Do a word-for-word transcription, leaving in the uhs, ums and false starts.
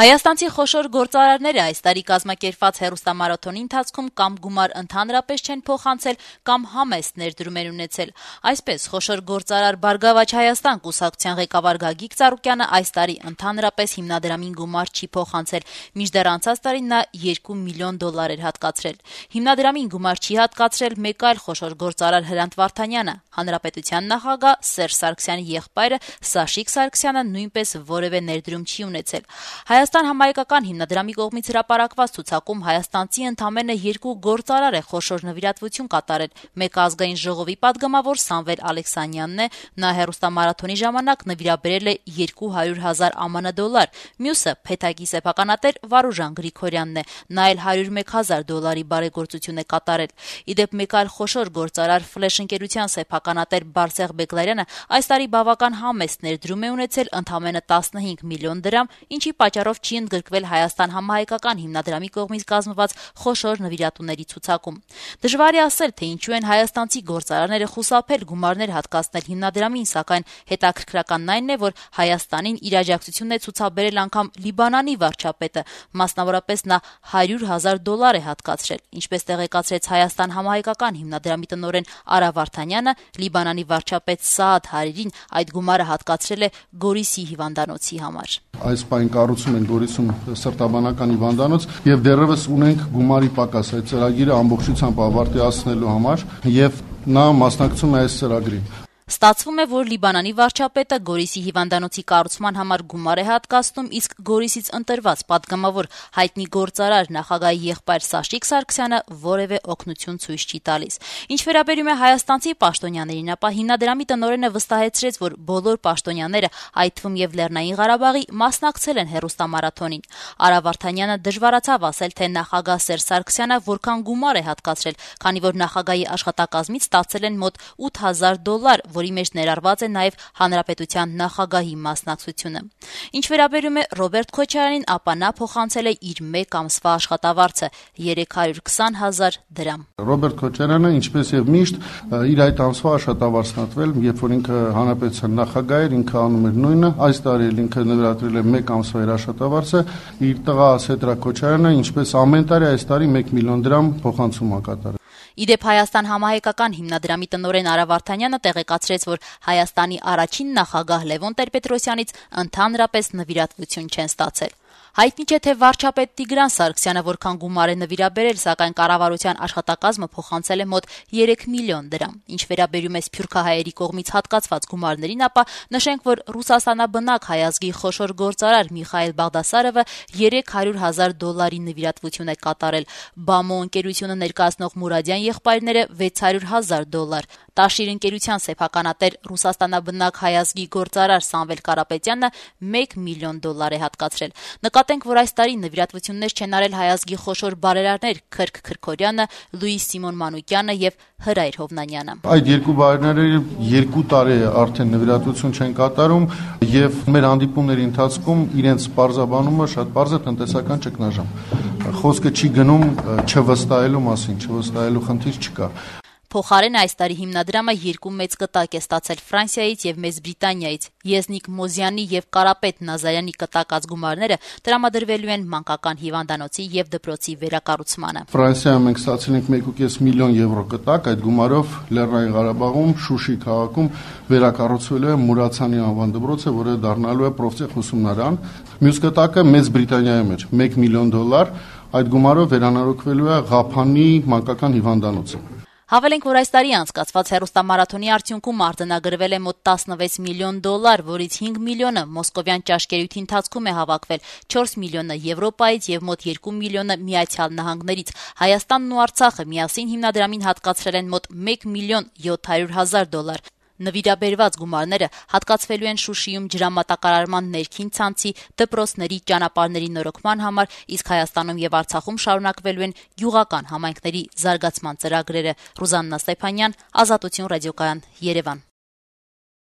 Հայաստանցի խոշոր գործարարները այս տարի կազմակերպված հեռուստամարաթոնի ընթացքում կամ գումար ընդհանրապես չեն փոխանցել, կամ համեստ ներդրում են ունեցել։ Այսպես, խոշոր գործարար «Բարգավաճ Հայաստան» կուսակցության ղեկավար Գագիկ Ծառուկյանը այս տարի ընդհանրապես հիմնադրամին գումար չի փոխանցել, մինչդեռ անցած տարի նա երկու միլիոն դոլար էր հատկացրել։ Հիմնադրամին գումար չի հատկացրել մեկ այլ խոշոր գործարար Հրանտ Վարդանյանը, Հանրապետության նախագահ Սերժ Սարգսյանի եղբայրը Սաշիկ Սարգսյանը նույնպես որևէ ներդրում չի ունեցել։ Հայաստան համահայկական հիմնադրամի կողմից հրապարակված ցուցակում հայաստանցի ընդամենը երկու գործարար է խոշոր նվիրատվություն կատարել։ Մեկը ազգային ժողովի պատգամավոր Սամվել Ալեքսանյանն է, նա հեռուստամարաթոնի ժամանակ նվիրաբերել է երկու հարյուր հազար ԱՄՆ դոլար, մյուսը Փեթակի սեփականատեր Վարուժան Գրիգորյանն է, նա էլ հարյուր մեկ հազար դոլարի բարեգործություն է կատարել։ Իդեպ մեկ այլ խոշոր գործարար Ֆլեշ ընկերության սեփականատեր Բարսեղ Բեգլարյանը այս տարի բավական համեստ ներդրում է ունեցել ընդամենը տասնհինգ միլիոն դրամ, ինչի պատճառով չի ընդգրկվել Հայաստան համահայկական հիմնադրամի կողմից կազմված խոշոր նվիրատուների ցուցակում։ Դժվար է ասել, թե ինչու են հայաստանցի գործարարները խուսափել գումարներ հատկացնել հիմնադրամին, սակայն հետաքրքրականն այն է, որ Հայաստանին իր աջակցությունն է ցուցաբերել անգամ Լիբանանի վարչապետը, մասնավորապես նա հարյուր հազար դոլար է հատկացրել։ Ինչպես տեղեկացրեց Հայաստան համահայկական հիմնադրամի տնօրեն Արա Վարդանյանը, Լիբանանի վարչապետ Սաադ Հարիրին այդ գումարը հատկացրել է Գորիսի հիվանդանոցի համար։ Այս պայն կառուցում են Գորիսում սրտաբանական հիվանդանոց եւ դեռևս ունենք գումարի պակաս այդ ծրագիրը ամբողջությամբ ավարտացնելու համար եւ նա մասնակցում է այս ծրագրին։ Ստացվում է, որ Լիբանանի վարչապետը Գորիսի հիվանդանոցի կառուցման համար գումար է հատկացնում, իսկ Գորիսից ընտրված պատգամավոր հայտնի գործարար նախագահի եղբայր Սաշիկ Սարգսյանը որևէ օգնություն ցույց չի տալիս։ Ինչ վերաբերում է հայաստանցի պաշտոնյաներին, ապա հիմնադրամի տնօրենը վստահեցրեց, որ բոլոր պաշտոնյաները, այդ թվում եւ Լեռնային Ղարաբաղի, մասնակցել են հեռուստամարաթոնին։ Արա Վարդանյանը դժվարացավ ասել, թե նախագահ Սերժ Սարգսյանը որքան գումար է հատկացրել, քանի որ նախագահի աշխատակազմից ստացել են մոտ ութ հազար դոլար, որի մեջ ներառված է նաև հանրապետության նախագահի մասնակցությունը։ Ինչ վերաբերում է Ռոբերտ Քոչարյանին, ապա նա փոխանցել է իր մեկ ամսվա աշխատավարձը՝ երեք հարյուր քսան հազար դրամ։ Ռոբերտ Քոչարյանը, ինչպես եւ միշտ, իր այդ ամսվա աշխատավարձն ատվել, երբ որ ինքը հանրապետության նախագահ էր, ինքը անում էր նույնը, այս տարի էլ ինքը նվիրատվել է մեկ ամսվա իր աշխատավարձը, իր տղա Սեդրակ Քոչարյանը, ինչպես ամեն տարի այս տարի մեկ միլիոն դրամ փոխանցում է կատարել։ Իդեպ Հայաստան համահայկական հիմնադրամի տնօրեն Արա Վարդանյանը տեղեկացրեց, որ Հայաստանի առաջին նախագահ Լևոն Տեր-Պետրոսյանից ընդհանրապես նվիրատվություն չեն ստացել։ Հայտնի չէ, թե վարչապետ Տիգրան Սարգսյանը որքան գումար է նվիրաբերել, սակայն կառավարության աշխատակազմը փոխանցել է մոտ երեք միլիոն դրամ։ Ինչ վերաբերում է սփյուռքահայերի կողմից հատկացված գումարներին, ապա նշենք, որ ռուսաստանաբնակ հայ ազգի խոշոր գործարար Միխայել Բաղդասարովը երեք հարյուր հազար դոլարի նվիրատվություն է կատարել, Բամո ընկերությունը ներկայացնող Մուրադյան եղբայրները վեց հարյուր հազար դոլար, Տաշիր ընկերության սեփականատեր ռուսաստանաբնակ հայ ազգի գործարար Սամվել Կարապետյանը մեկ միլիոն դոլար է հատկացրել։ Նկատենք, որ այս տարի նվիրատվություններ չեն արել հայ ազգի խոշոր բարերարներ Քրք Քրքորյանը, Լուիս Սիմոն Մանուկյանը եւ Հրայր Հովնանյանը։ Այդ երկու բարերարները երկու տարի արդեն նվիրատվություն չեն կատարում եւ մեր հանդիպումների ընթացքում իրենց պարզաբանումը շատ պարզ է, տնտեսական ճգնաժամ։ Խոսքը չի գնում չվստահելու մասին, չվստահելու խնդիր չկա։ Փոխարենը այս տարի հիմնադրամը երկու մեծ կտակ է ստացել Ֆրանսիայից եւ Մեծ Բրիտանիայից։ Եզնիկ Մոզյանի եւ Կարապետ Նազարյանի կտակած գումարները տրամադրվելու են մանկական հիվանդանոցի եւ դպրոցի վերակառուցմանը։ Ֆրանսիայում մենք ստացել ենք մեկ կես միլիոն եվրո կտակ, այդ գումարով Լեռնային Ղարաբաղում Շուշի քաղաքում վերակառուցվելու է Մուրացյանի անվան դպրոցը, որը դառնալու է պրոֆտեխ ուսումնարան։ Մյուս կտակը Մեծ Բրիտանիայում էր մեկ միլիոն դոլար, այդ գումարով վերանորոգվելու է Ղափանի մանկական հիվանդանոցը։ Հավելենք, որ այս տարի անցկացված հեռուստամարաթոնի արդյունքում արձանագրվել է մոտ տասնվեց միլիոն դոլար, որից հինգ միլիոնը մոսկովյան ճաշկերույթի ընթացքում է հավաքվել, չորս միլիոնը Եվրոպայից եւ մոտ երկու միլիոնը Միացյալ Նահանգներից։ Հայաստանն ու Արցախը միասին հիմնադրամին հատկացրել են մոտ մեկ միլիոն յոթ հարյուր հազար դոլար։ Նվիրաբերված գումարները հատկացվելու են Շուշիում ջրամատակարարման ներքին ցանցի, դպրոցների, ճանապարհների նորոգման համար, իսկ Հայաստանում եւ Արցախում շարունակվելու են գյուղական համայնքների զարգացման ծրագրերը։ Ռուզաննա Ստեփանյան, Ազատություն ռադիոկայան, Երևան։